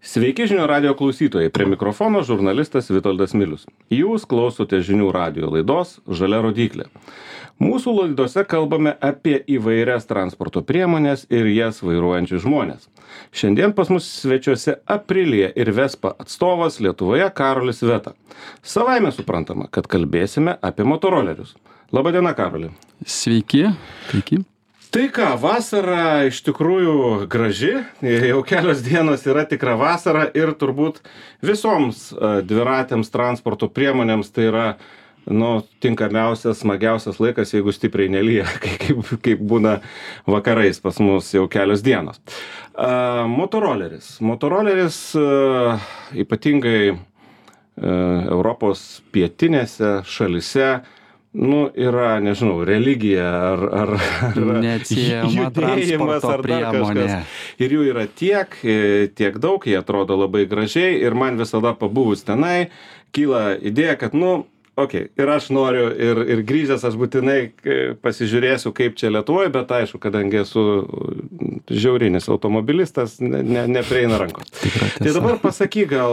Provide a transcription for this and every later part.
Sveiki žinių radio klausytojai, prie mikrofono žurnalistas Vitoldas Milius. Jūs klausote žinių radio laidos Žalia rodyklė. Mūsų laidose kalbame apie įvairias transporto priemonės ir jas vairuojančius žmonės. Šiandien pas mus svečiuose Aprilia ir Vespa atstovas Lietuvoje Karolis Veta. Savaime suprantama, kad kalbėsime apie motorolerius. Labadiena, Karoli. Sveiki. Tai ką, vasara iš tikrųjų graži, jau kelios dienos yra tikra vasara ir turbūt visoms dviratėms transporto priemonėms tai yra tinkamiausias, smagiausias laikas, jeigu stipriai nelyja, kaip būna vakarais pas mus jau kelios dienos. Motoroleris. Motoroleris ypatingai Europos pietinėse šalyse yra, nežinau, religija ar neatsiejama judėjimas ar dar kažkas. Ir jų yra tiek daug, jie atrodo labai gražiai ir man visada pabuvus tenai kyla idėja, kad ir aš noriu ir grįžęs aš būtinai pasižiūrėsiu, kaip čia Lietuvoje, bet aišku, kadangi esu žiaurinis automobilistas, neprieina rankos. Tai dabar pasakyk gal,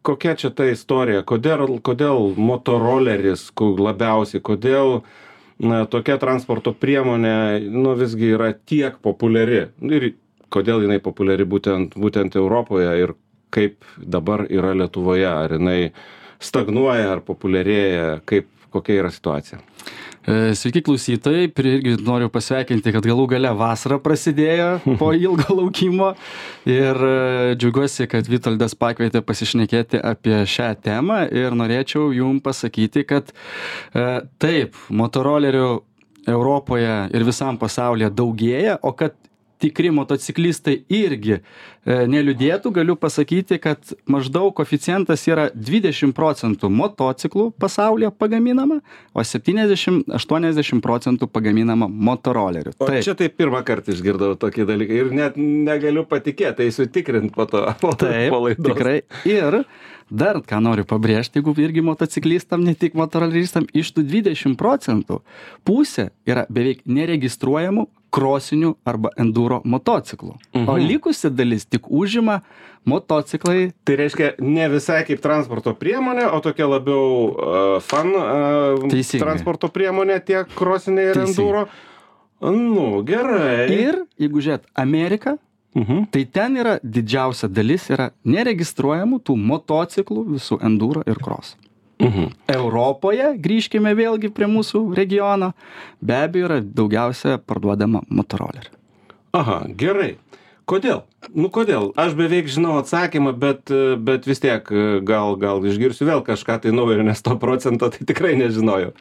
kokia čia ta istorija, kodėl motoroleris labiausiai, kodėl tokia transporto priemonė visgi yra tiek populiari ir kodėl jinai populiari būtent Europoje ir kaip dabar yra Lietuvoje, ar jinai stagnuoja, ar populiarėja, kokia yra situacija? Sveiki klausytojai, irgi noriu pasveikinti, kad galų gale vasara prasidėjo po ilgo laukimo ir džiaugiuosi, kad Vitoldas pakvietė pasišnekėti apie šią temą ir norėčiau jums pasakyti, kad taip, motorolerių Europoje ir visam pasaulyje daugėja, o kad tikri motociklistai irgi neliūdėtų, galiu pasakyti, kad maždaug koeficientas yra 20% motociklų pasaulyje pagaminama, o 70-80% pagaminama motorolerių. O čia tai pirmą kartą išgirdau tokį dalyką ir net negaliu patikėti, eisiu tikrint po to. Taip, tikrai. Ir dar ką noriu pabrėžti, jeigu irgi motociklistam, ne tik motoroleristam, iš tų 20% pusė yra beveik neregistruojamų krosinių arba enduro motociklų. O likusi dalis tik užima motociklai. Tai reiškia ne visai kaip transporto priemonė, o tokia labiau fun transporto priemonė tiek krosiniai ir enduro. Gerai. Ir jeigu žiūrėt Ameriką, tai ten yra didžiausia dalis yra neregistruojamų tų motociklų visų enduro ir cross. Europoje, grįžkime vėlgi prie mūsų regiono, be abejo yra daugiausia parduodama motorolerių. Aha, gerai. Kodėl? Kodėl? Aš beveik žinau atsakymą, bet vis tiek gal išgirsiu vėl kažką tai naujo, nes 100% tai tikrai nežinojau.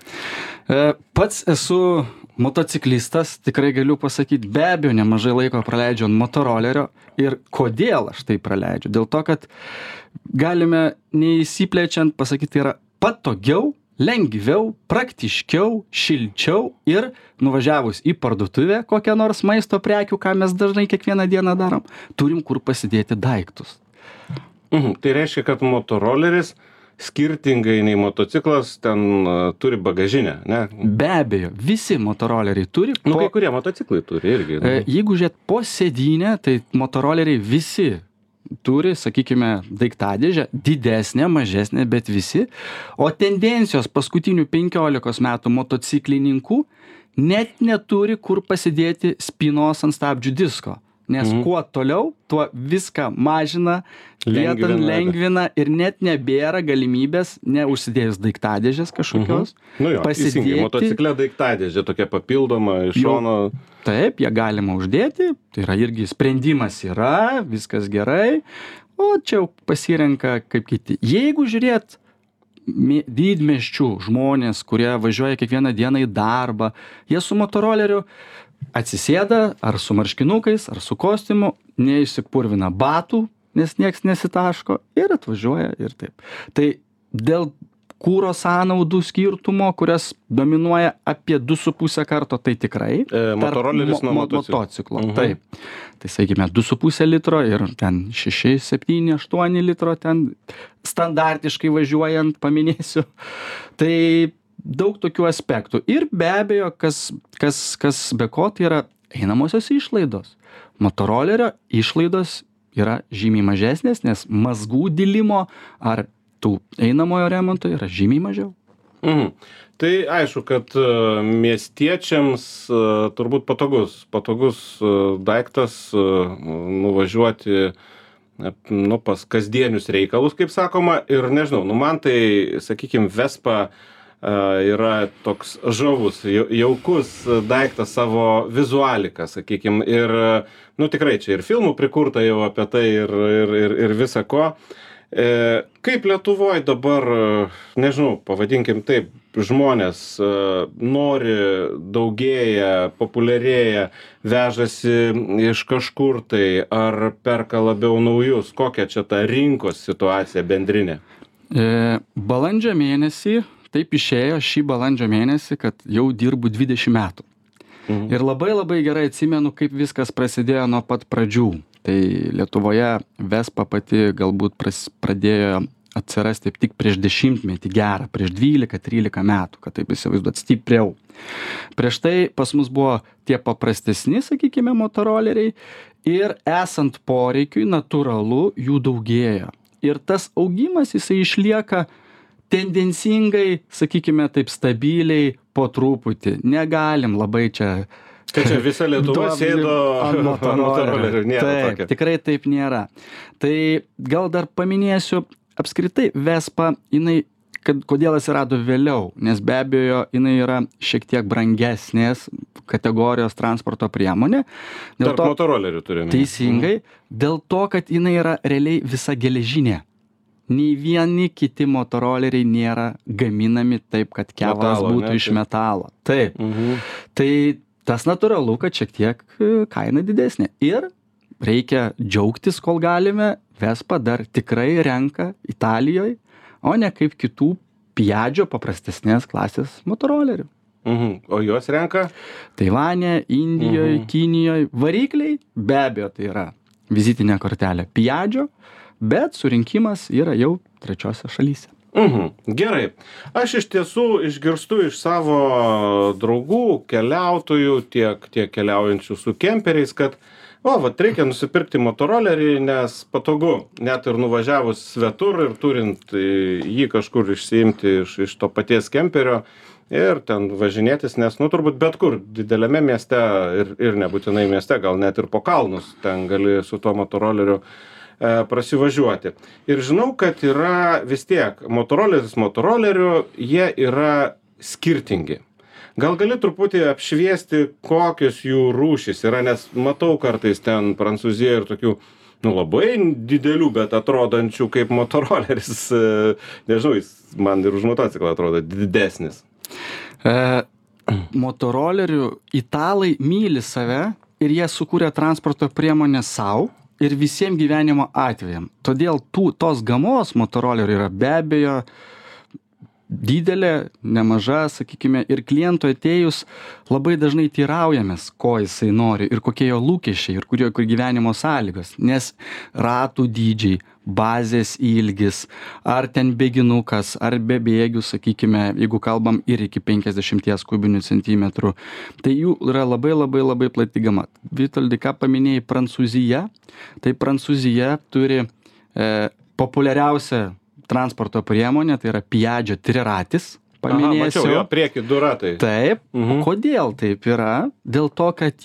Pats esu motociklistas, tikrai galiu pasakyti, be abejo nemažai laiko praleidžiu ant motorolerio ir kodėl aš tai praleidžiu? Dėl to, kad galime neįsiplečiant pasakyti, yra patogiau, lengviau, praktiškiau, šilčiau ir nuvažiavus į parduotuvę kokią nors maisto prekių, ką mes dažnai kiekvieną dieną darom, turim kur pasidėti daiktus. Tai reiškia, kad motoroleris skirtingai nei motociklas ten turi bagažinę, ne? Be abejo, visi motoroleriai turi. Kai kurie motociklai turi irgi. Jeigu žiūrėt po sėdynę, tai motoroleriai visi turi, sakykime, daiktadėžę, didesnė, mažesnė, bet visi. O tendencijos paskutinių 15 metų motociklininkų net neturi kur pasidėti spynos ant stabdžių disko. Nes kuo toliau, tuo viską mažina, lengvina ir net nebėra galimybės, neužsidėjus daiktadėžės kažkokios, pasidėti. Motocikle daiktadėžė tokia papildoma iš šono. Taip, ją galima uždėti, tai yra irgi sprendimas yra, viskas gerai, o čia jau pasirenka kaip kiti. Jeigu žiūrėt didmiesčių žmonės, kurie važiuoja kiekvieną dieną į darbą, jie su motoroleriu atsisėda ar su marškinukais, ar su kostiumu, neišsipurvina batų, nes nieks nesitaško ir atvažiuoja ir taip. Tai dėl kuro sąnaudų skirtumo, kurias dominuoja apie 2,5 karto, tai tikrai. Motoroleris nuo motociklo. Taip. Tai sakykime 2,5 litro ir ten 6, 7, 8 litro ten standartiškai važiuojant, paminėsiu. Tai daug tokių aspektų. Ir be abejo, kas be ko, tai yra einamosios išlaidos. Motorolerio išlaidos yra žymiai mažesnės, nes mazgų dilimo ar tų einamojo remonto yra žymiai mažiau. Tai aišku, kad miestiečiams turbūt patogus daiktas nuvažiuoti pas kasdienius reikalus, kaip sakoma, ir nežinau, man tai, sakykime, Vespa yra toks žavus, jaukus daiktas savo vizualika, sakykime, ir, tikrai čia ir filmų prikurta jau apie tai ir visa ko. Kaip Lietuvoje dabar, nežinau, pavadinkim taip, žmonės nori, daugėja, populiarėja, vežasi iš kažkur tai, ar perka labiau naujus, kokia čia ta rinkos situacija bendrinė? Balandžio mėnesį, taip išėjo šį balandžio mėnesį, kad jau dirbu 20 metų. Ir labai gerai atsimenu, kaip viskas prasidėjo nuo pat pradžių. Tai Lietuvoje Vespa pati galbūt pradėjo atsirasti tik prieš 10 metį gerą, prieš 12-13 metų, kad taip įsivaizduot stipriau. Prieš tai pas mus buvo tie paprastesni, sakykime, motoroleriai ir esant poreikiui natūralu jų daugėja. Ir tas augimas jisai išlieka tendencingai, sakykime, taip stabiliai po truputį. Negalim labai čia... Kad čia visa Lietuva sėdo ant motorolerių. Taip, tikrai taip nėra. Tai gal dar paminėsiu apskritai Vespa, kodėl atsirado vėliau, nes be abejo jinai yra šiek tiek brangesnės kategorijos transporto priemonė. Tarp motorolerių turime. Teisingai, dėl to, kad jinai yra realiai visa geležinė. Nei vieni kiti motoroleriai nėra gaminami taip, kad kevalas būtų iš metalo. Taip. Tai tas natūralu, kad šiek tiek kaina didesnė. Ir reikia džiaugtis, kol galime. Vespa dar tikrai renka Italijoje, o ne kaip kitų Piaggio paprastesnės klasės motorolerių. O juos renka? Taivane, Indijoje, Kinijoje. Varikliai be abejo tai yra vizitinė kortelė Piaggio, bet surinkimas yra jau trečiose šalyse. Gerai. Aš iš tiesų išgirstu iš savo draugų, keliautojų, tiek keliaujančių su kemperiais, kad reikia nusipirkti motorolerį, nes patogu, net ir nuvažiavus svetur ir turint jį kažkur išsiimti iš to paties kemperio ir ten važinėtis, nes, turbūt bet kur dideliame mieste ir nebūtinai mieste, gal net ir po kalnus, ten gali su tuo motoroleriu prasivažiuoti. Ir žinau, kad yra vis tiek motorolerių, jie yra skirtingi. Gal gali truputį apšviesti, kokios jų rūšys yra, nes matau kartais ten Prancūzijoje ir tokių, labai didelių, bet atrodančių kaip motoroleris, nežinau, jis man ir už motociklą atrodo didesnis. Motorolerių italai myli save ir jie sukūrė transporto priemonę savo ir visiems gyvenimo atvejam. Todėl tos gamos motorolerių yra be abejo didelė, nemaža, sakykime, ir klientui atėjus labai dažnai teiraujamės, ko jisai nori ir kokie jo lūkesčiai ir kur gyvenimo sąlygos, nes ratų dydžiai, bazės ilgis, ar ten bėginukas, ar be bėgių, sakykime, jeigu kalbam ir iki 50 kubinių centimetrų, tai jų yra labai plati gama. Vitoldi, ką paminėjai Prancūzija, tai Prancūzija turi populiariausią transporto priemonė, tai yra Piaggio triratis, paminėsiu. Mačiau, jo prieki 2 ratai. Taip. Kodėl taip yra? Dėl to, kad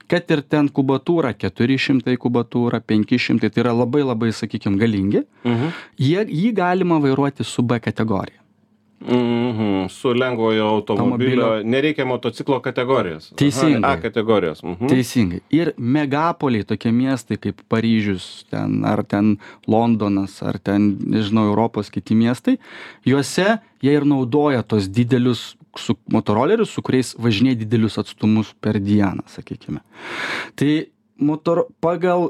kad ir ten kubatūra, 400 kubatūra, 500, tai yra labai, sakykime, galingi, jį galima vairuoti su B kategorija. Su lengvojo automobilio, nereikia motociklo kategorijos. Teisingai. A kategorijos. Teisingai. Ir megapoliai, tokie miestai kaip Paryžius, ar ten Londonas, ar ten, nežinau, Europos kiti miestai, juose jie ir naudoja tos didelius motorolerius, su kuriais važinėja didelius atstumus per dieną, sakykime. Tai pagal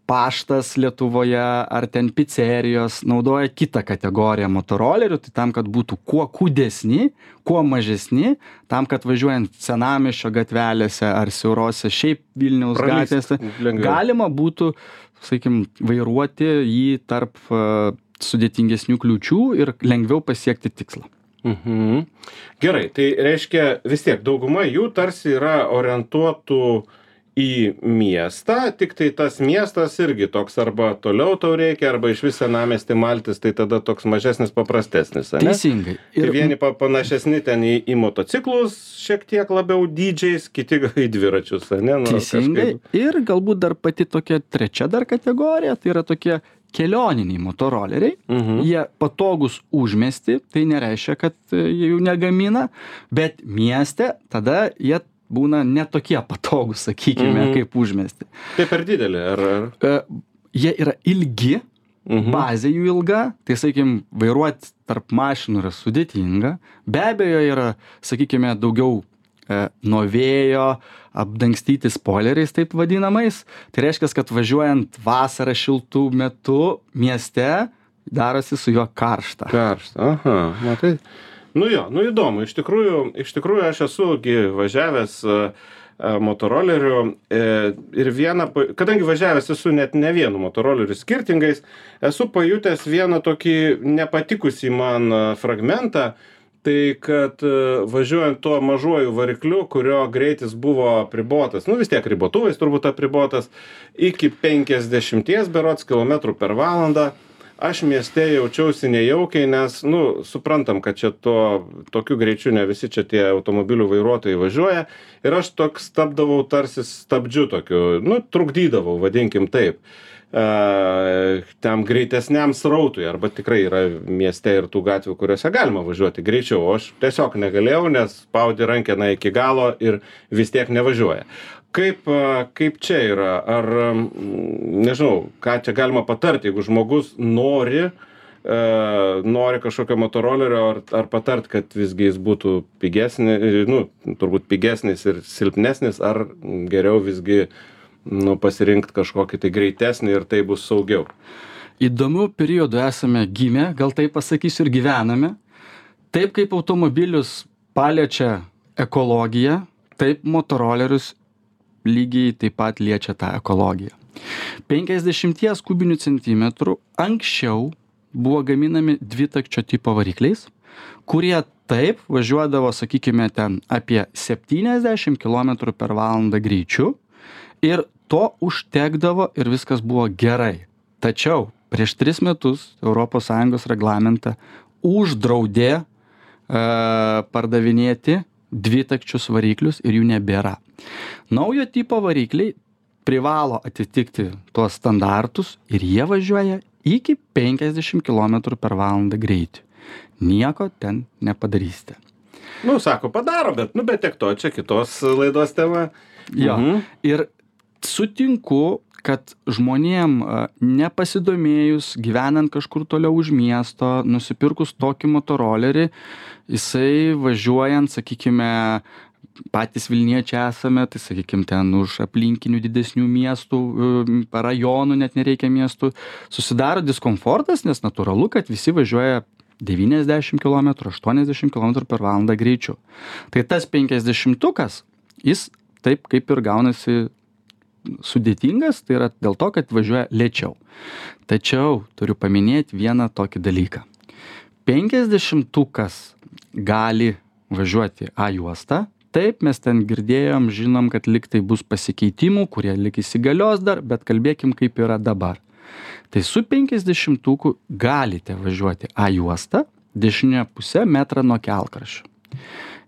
paštas Lietuvoje ar ten picerijos naudoja kitą kategoriją motorolerių, tai tam, kad būtų kuo kūdesni, kuo mažesni, tam, kad važiuojant senamiesčio gatvelėse ar siaurose šiaip Vilniaus gatvėse, galima būtų, sakykime, vairuoti jį tarp sudėtingesnių kliūčių ir lengviau pasiekti tikslą. Gerai, tai reiškia vis tiek dauguma jų tarsi yra orientuotų į miestą, tik tai tas miestas irgi toks arba toliau tau reikia, arba iš vis senamiestį maltis, tai tada toks mažesnis, paprastesnis. Ne? Teisingai. Ir vieni panašesni ten į motociklus, šiek tiek labiau dydžiais, kiti į dviračius. Ne? Nu, teisingai. kažkaip... Ir galbūt dar pati tokia trečia dar kategorija, tai yra tokie kelioniniai motoroleriai. Jie patogus užmiesti, tai nereiškia, kad jie jų negamina, bet mieste tada jie būna netokie patogūs, sakykime, kaip užmiesti. Tai per didelį, ar? Jie yra ilgi, bazė jų ilga, tai, sakykime, vairuoti tarp mašinų yra sudėtinga. Be abejo, yra, sakykime, daugiau nuo vėjo apdangstyti spoileriais, taip vadinamais. Tai reiškia, kad važiuojant vasarą šiltų metu mieste, darosi su juo karšta. Karšta, aha, matai. Nu jo, nu įdomu, iš tikrųjų aš esu važiavęs motoroleriu ir kadangi važiavęs esu net ne vienu motoroleriu skirtingais, esu pajutęs vieną tokį nepatikusį man fragmentą, tai kad važiuojant tuo mažuoju varikliu, kurio greitis buvo apribotas, nu vis tiek ribotuvais turbūt apribotas, iki 50 berods kilometrų per valandą, aš mieste jaučiausi nejaukiai, nes, nu, suprantam, kad čia tokiu greičiu ne visi čia tie automobilių vairuotojai važiuoja ir aš toks tapdavau tarsi stabdžiu tokiu, nu, trukdydavau, vadinkim taip, tam greitesniam srautui, arba tikrai yra mieste ir tų gatvių, kuriuose galima važiuoti greičiau, o aš tiesiog negalėjau, nes spaudi rankeną iki galo ir vis tiek nevažiuoja. Kaip čia yra? Ar, nežinau, ką čia galima patarti, jeigu žmogus nori kažkokio motorolerio, ar patart, kad visgi jis būtų pigesnis, nu, turbūt pigesnis ir silpnesnis, ar geriau visgi pasirinkti kažkokį tai greitesnį ir tai bus saugiau? Įdomių periodų esame gimę, gal taip pasakysiu, ir gyvename. Taip kaip automobilius paliečia ekologija, taip motorolerius lygiai taip pat liečia tą ekologiją. 50 kubinių centimetrų anksčiau buvo gaminami dvitakčio tipo varikliais, kurie taip važiuodavo, sakykime, ten apie 70 km per valandą greičiu ir to užtekdavo ir viskas buvo gerai. Tačiau prieš 3 metus ES reglamentą uždraudė pardavinėti dvitakčius variklius ir jų nebėra. Naujo tipo varikliai privalo atitikti tuos standartus ir jie važiuoja iki 50 km per valandą greitį. Nieko ten nepadarysite. Nu, sako, padaro, bet tiek to, čia kitos laidos tema. Jo, ir sutinku, kad žmonėm nepasidomėjus, gyvenant kažkur toliau už miesto, nusipirkus tokį motorolerį, jisai važiuojant, sakykime, patys Vilniečiai esame, tai sakykime, ten už aplinkinių didesnių miestų, rajonų net nereikia miestų, susidaro diskomfortas, nes natūralu, kad visi važiuoja 90 km, 80 km per valandą greičiu. Tai tas 50-ukas, jis taip kaip ir gaunasi sudėtingas, tai yra dėl to, kad važiuoja lėčiau. Tačiau turiu paminėti vieną tokį dalyką. 50-ukas gali važiuoti A juostą. Taip, mes ten girdėjom, žinom, kad liktai bus pasikeitimų, kurie lik įsigalios dar, bet kalbėkim, kaip yra dabar. Tai su 50-uku galite važiuoti A juostą, dešinė pusė metrą nuo kelkraščio.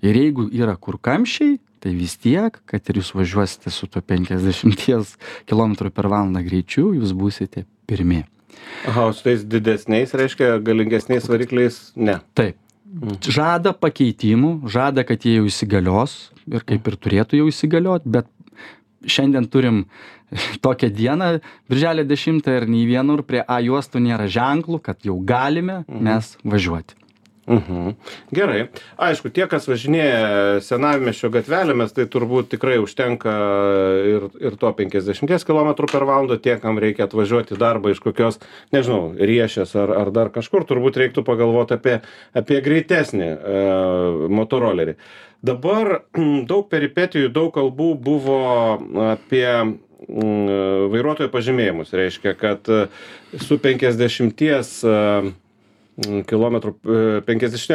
Ir jeigu yra kur kamščiai, tai vis tiek, kad ir jūs važiuosite su tuo 50 km per valandą greičiu, jūs būsite pirmi. Aha, su tais didesniais, reiškia, galingesniais varikliais, ne. Taip. Žada pakeitimų, žada, kad jie jau įsigalios ir kaip ir turėtų jau įsigalioti, bet šiandien turim tokią dieną, birželio 10 ir nei vienur prie A juostų nėra ženklų, kad jau galime mes važiuoti. Gerai. Aišku, tie, kas važinėja senamiesčio gatvelėmis, tai turbūt tikrai užtenka ir to 50 km per valandą, tie, kam reikia atvažiuoti į darbą iš kokios, nežinau, Riešės ar dar kažkur, turbūt reiktų pagalvoti apie greitesnį motorolerį. Dabar daug peripetijų, daug kalbų buvo apie vairuotojo pažymėjimus. Reiškia, kad su 50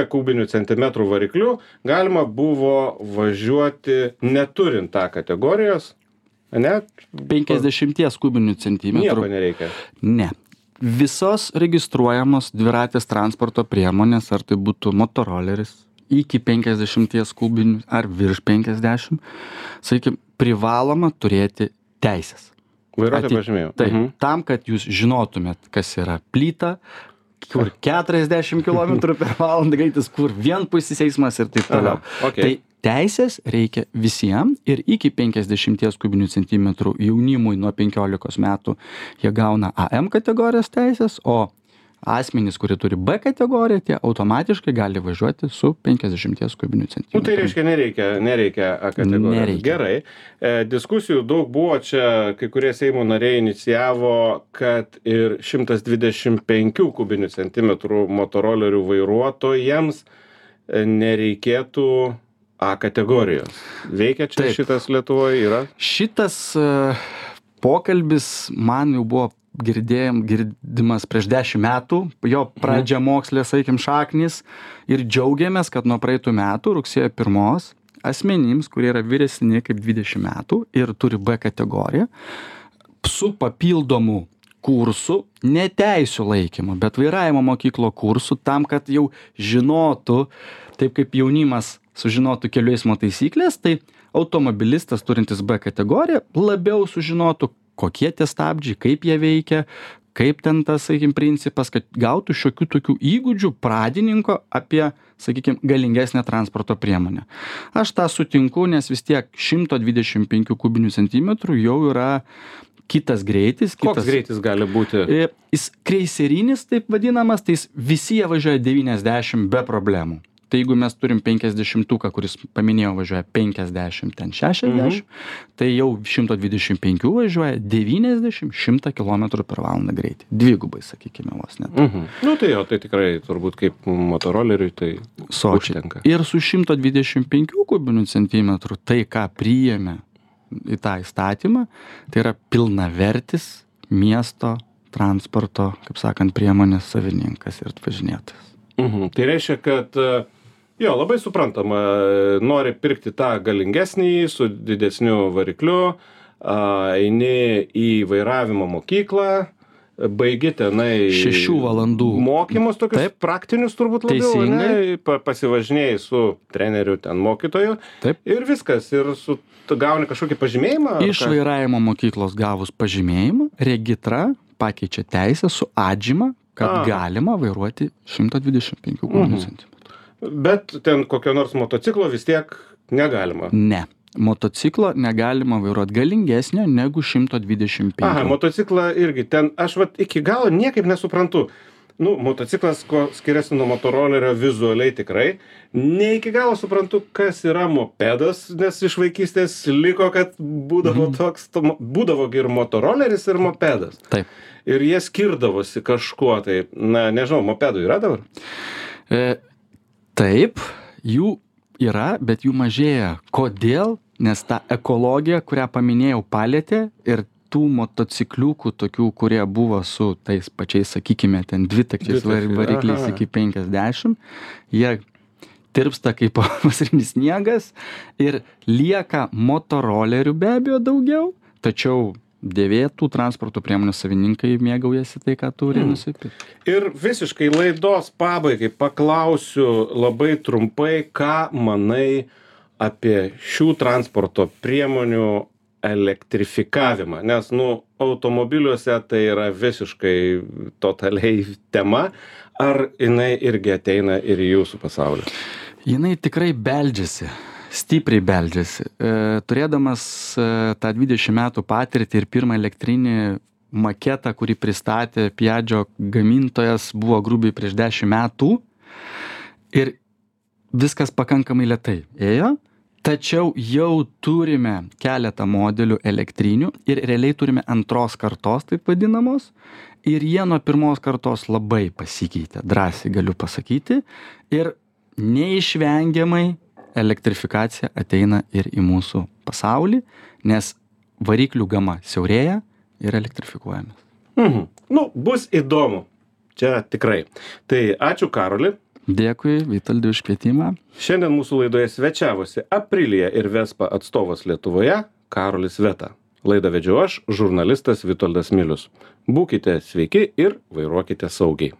kubinių centimetrų varikliu galima buvo važiuoti neturint tą kategorijos, ne? 50 kubinių centimetrų. Nieko nereikia. Ne. Visos registruojamos dviratės transporto priemonės, ar tai būtų motoroleris, iki 50 kubinių ar virš 50, sakykime, privaloma turėti teisės. Vairuotojo pažymėjimą. Taip, tam, kad jūs žinotumėt, kas yra plyta, kur 40 km/h greitis, kur vienpusis eismas ir taip toliau. Okay. Tai teisės reikia visiems ir iki 50 kubinių centimetrų jaunimui nuo 15 metų jie gauna AM kategorijos teisės, o asmenys, kurie turi B kategoriją, tie automatiškai gali važiuoti su 50 kubinių centimetrų. Tai reiškia, nereikia A kategorijos. Nereikia. Gerai. Diskusijų daug buvo čia, kai kurie Seimo nariai inicijavo, kad ir 125 kubinių centimetrų motorolerių vairuotojams nereikėtų A kategorijos. Veikia čia šitas Lietuvoje yra? Šitas pokalbis man jau buvo girdimas prieš 10 metų, jo pradžia mokslė, sakykim, šaknis, ir džiaugiamės, kad nuo praeitų metų, rugsėjo 1, asmenims, kurie yra vyresni kaip 20 metų ir turi B kategoriją, su papildomu kursu, ne teisių laikymu, bet vairavimo mokyklo kursu, tam, kad jau žinotų, taip kaip jaunimas sužinotų kelių eismo taisyklės, tai automobilistas turintis B kategoriją labiau sužinotų, kokie tie stabdžiai, kaip jie veikia, kaip ten tas, sakykim, principas, kad gautų šiokių tokių įgūdžių pradininko apie, sakykim, galingesnę transporto priemonę. Aš tą sutinku, nes vis tiek 125 kubinių centimetrų jau yra kitas greitis. Koks greitis gali būti? Jis kreiserinis, taip vadinamas, tai visi jie važiuoja 90 be problemų. Tai jeigu mes turim 50-uką, kuris paminėjau važiuoja 50, ten 60, tai jau 125 važiuoja 90-100 km/h greitį. Dvigubai, sakykime, vos net. Nu tai jo, tai tikrai turbūt kaip motoroleriui tai užtenka. Ir su 125 kubinių centimetrų tai, ką priėmė į tą įstatymą, tai yra pilnavertis miesto transporto, kaip sakant, priemonės savininkas ir važinėtojas. Tai reiškia, kad jo, labai suprantama, nori pirkti tą galingesnį su didesniu varikliu, eini į vairavimo mokyklą, baigi tenai 6 valandų mokymus, tokius praktinius turbūt labiau, ne, pasivažinėjai su treneriu, ten mokytoju. Taip. Ir viskas, ir gauni kažkokį pažymėjimą. Iš vairavimo mokyklos gavus pažymėjimą, regitra pakeičia teisę su atžyma, kad galima vairuoti 125 kubinių centimetrų. Bet ten kokio nors motociklo vis tiek negalima. Ne. Motociklo negalima vairuoti galingesnio negu 125. Motociklą irgi ten, aš iki galo niekaip nesuprantu. Motociklas, ko skiriasi nuo motorolerio vizualiai tikrai. Ne iki galo suprantu, kas yra mopedas, nes iš vaikystės liko, kad būdavo toks, būdavo ir motoroleris, ir mopedas. Taip. Ir jie skirdavosi kažkuo, tai, nežinau, mopedų yra dabar? Taip, jų yra, bet jų mažėja. Kodėl? Nes ta ekologija, kurią paminėjau, palėtė ir tų motocikliukų tokių, kurie buvo su tais pačiais, sakykime, ten dvitakčiais varikliais iki 50, jie tirpsta kaip vasarinis sniegas ir lieka motorolerių be abejo daugiau, tačiau dėvėtų transporto priemonių savininkai mėgaujasi tai, ką turi nusipirkti. Ir visiškai laidos pabaigai paklausiu labai trumpai, ką manai apie šių transporto priemonių elektrifikavimą, nes, automobiliuose tai yra visiškai totaliai tema. Ar jinai irgi ateina ir į jūsų pasaulį? Jinai tikrai beldžiasi. Stipriai beldžiasi. Turėdamas tą 20 metų patirtį ir pirmą elektrinį maketą, kurį pristatė Piaggio gamintojas, buvo grubiai prieš 10 metų ir viskas pakankamai lėtai ėjo, tačiau jau turime keletą modelių elektrinių ir realiai turime antros kartos, taip vadinamos, ir jie nuo pirmos kartos labai pasikeitė, drąsiai galiu pasakyti, ir neišvengiamai elektrifikacija ateina ir į mūsų pasaulį, nes variklių gama siaurėja ir elektrifikuojamės. Bus įdomu. Čia tikrai. Tai ačiū, Karoli. Dėkui, Vitoldai, už kvietimą. Šiandien mūsų laidoje svečiavosi Aprilia ir Vespa atstovas Lietuvoje, Karolis Veta. Laidą vedžiau aš, žurnalistas Vitoldas Milius. Būkite sveiki ir vairuokite saugiai.